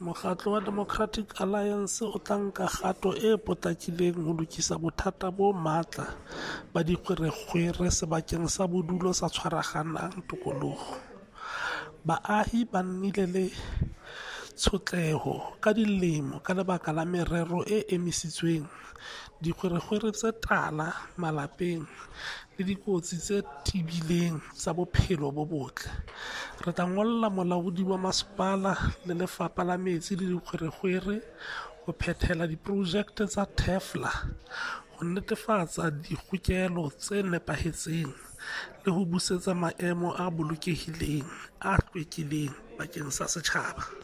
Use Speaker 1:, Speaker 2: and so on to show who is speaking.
Speaker 1: Mokgatlo wa Democratic Alliance o tla nka kgato e potlakileng ho lokisa bothata bo matla ba dikgwerekgwere sebakeng sa bodulo sa Tshwaraganang Tokoloho. Baahi ba nnile le tshotleho ka dilemo ka lebaka la merero e emisitsweng, dikgwerekgwere tse tala malapeng le dikotsi tse tebileng tsa bophelo bo botle. Re tla ngolla molaodi wa masepala le Lefapha la Metsi le Dikgwerekgwere ho phethela diprojekte tsa TEFLA ho netefatsa dikgokelo tse nepahetseng le ho busetsa maemo a bolokehileng, a hlwekileng bakeng sa setjhaba.